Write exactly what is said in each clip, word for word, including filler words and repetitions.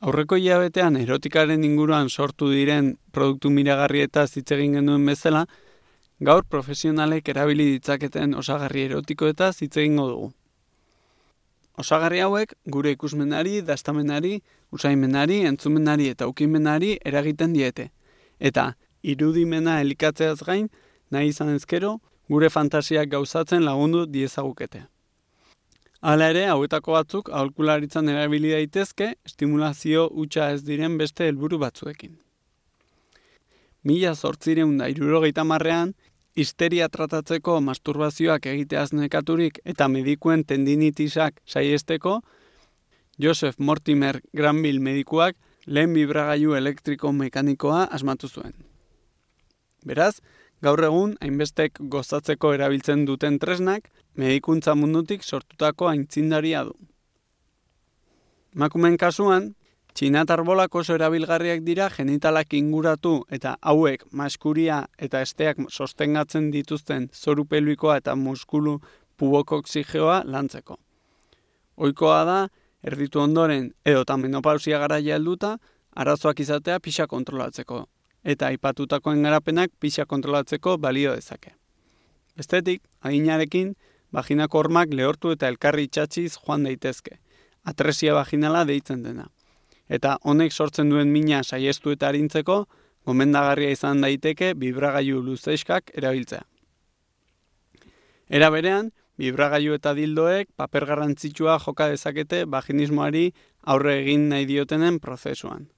Aurreko hilabetean erotikaren inguruan sortu diren produktu miragarrietaz hitz egin genuen bezala, gaur profesionalek erabili ditzaketen osagarri erotikoetaz hitz egingo dugu. Osagarri hauek gure ikusmenari, dastamenari, usaimenari, entzumenari eta ukimenari eragiten diete. Eta irudimena elikatzeaz gain, nahi izan ezkero, gure fantasiak gauzatzen lagundu diezagukete. Hala ere, hauetako batzuk aholkularitzan erabili daitezke, estimulazio hutsa ez diren beste helburu batzuekin. Mila zortziehun eta hirurogeita hamarrean, histeria tratatzeko masturbazioak egiteaz nekaturik eta medikuen tendinitisak saiesteko, Joseph Mortimer Granville medikuak lehen bibragailu elektriko mekanikoa asmatu zuen. Beraz, gaur egun hainbestek gozatzeko erabiltzen duten tresnak, medikuntza mundutik sortutako aitzindaria du. Emakumeen kasuan, txinatar bolak oso erabilgarriak dira genitalak inguratu eta hauek maskuria eta esteak sostengatzen dituzten zoru pelbikoa eta muskulu pubokoxigeoa lantzeko. Ohikoa da, erditu ondoren edota menopausia garaia helduta, arazoak izatea pixa kontrolatzeko, eta aipatutakoen garapenak pixa kontrolatzeko balio dezake. Bestetik, adinarekin, vaginako hormak lehortu eta elkarri itxatxiz joan daitezke, atresia vaginala deitzen dena. Eta honek sortzen duen mina saiestu eta arintzeko, gomendagarria izan daiteke bibragailu luzexkak erabiltzea. Era berean, bibragailu eta dildoek paper garrantzitsua joka dezakete vaginismoari aurre egin nahi diotenen prozesuan.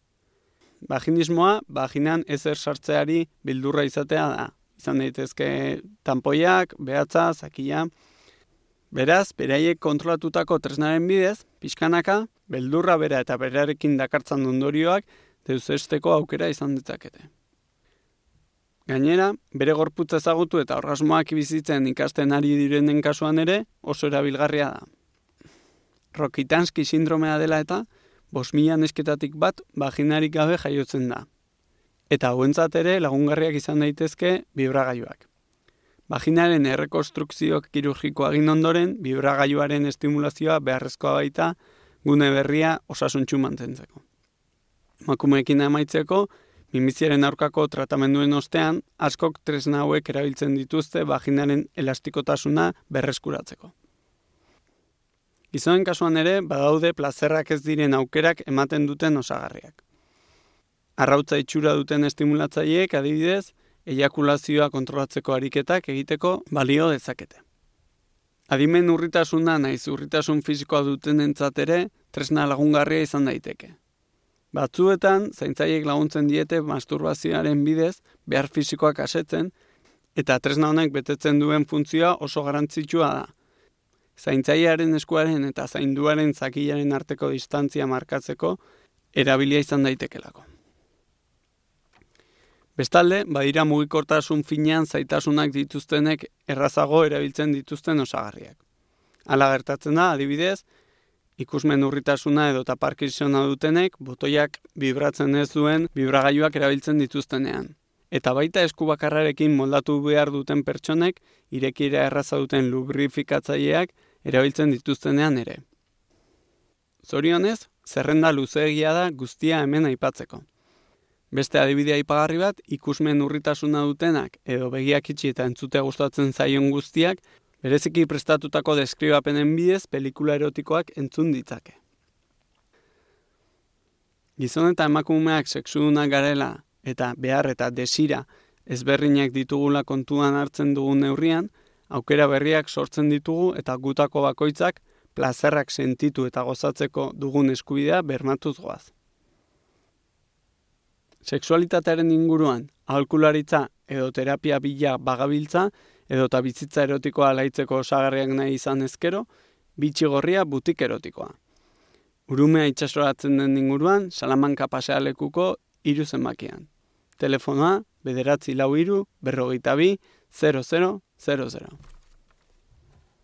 Vaginismoa, vaginan ezer sartzeari bildurra izatea da. Izan daitezke tanpoiak, behatza, zakia. Beraz, beraiek kontrolatutako tresnaren bidez, pixkanaka, beldurra bera eta berarekin dakartzan ondorioak deusesteko aukera izan ditzakete. Gainera, bere gorputza ezagutu eta orgasmoak bizitzen ikasten ari direnen kasuan ere oso erabilgarria da. Rokitansky sindromea dela eta, bost mila nesketatik bat vaginarik gabe jaiotzen da. Eta hauentzat ere lagungarriak izan daitezke bibragailuak. Vaginaren errekonstrukzio kirurgikoa egin ondoren, bibragailuaren estimulazioa beharrezkoa baita gune berria osasuntsu mantentzeko. Emakumeekin amaitzeko, minbiziaren aurkako tratamenduen ostean, askok tresna hauek erabiltzen dituzte vaginaren elastikotasuna berreskuratzeko. Gizonen kasuan ere, badaude plazerrak ez diren aukerak ematen duten osagarriak. Arrautza itxura duten estimulatzaileek adibidez, eiakulazioa kontrolatzeko ariketak egiteko balio dezakete. Adimen urritasuna naiz urritasun fisikoa dutenentzat ere tresna lagungarria izan daiteke. Batzuetan, zaintzaileek laguntzen diete masturbazioaren bidez behar fisikoak asetzen, eta tresna honek betetzen duen funtzioa oso garrantzitsua da. Zaintzailearen eskuaren eta zainduaren zakilaren arteko distantzia markatzeko erabilia izan daitekelako. Bestalde, badira mugikortasun finean zaitasunak dituztenek errazago erabiltzen dituzten osagarriak. Hala gertatzen da, adibidez, ikusmen urritasuna edo Parkinsona dutenek botoiak bibratzen ez duen bibragailuak erabiltzen dituztenean. Eta baita esku bakarrarekin moldatu behar duten pertsonek irekiera erraza duten lubrifikatzaileak erabiltzen dituztenean ere. Zorionez, zerrenda luzeegia da guztia hemen aipatzeko. Beste adibidea aipagarri bat, ikusmen urritasuna dutenak edo begiak itxi eta entzutea gustatzen zaion guztiak, bereziki prestatutako deskribapenen bidez pelikula erotikoak entzun ditzake. Gizon eta emakumeak sexudunak garela eta behar eta desira ezberdinak ditugula kontuan hartzen dugun neurrian, aukera berriak sortzen ditugu eta gutako bakoitzak plazerrak sentitu eta gozatzeko dugun eskubidea bermatuz goaz. Sexualitatearen inguruan, aholkularitza edo terapia bila bagabiltza edota bizitza erotikoa alaitzeko osagarriak nahi izan ezkero, bitxi gorria butik erotikoa. Urumea itsasoratzen den inguruan, Salamanca pasealekuko hiru zenbakian. Telefonoa, bederatzi lau hiru, berrogeita bi, zero zero, zero zero.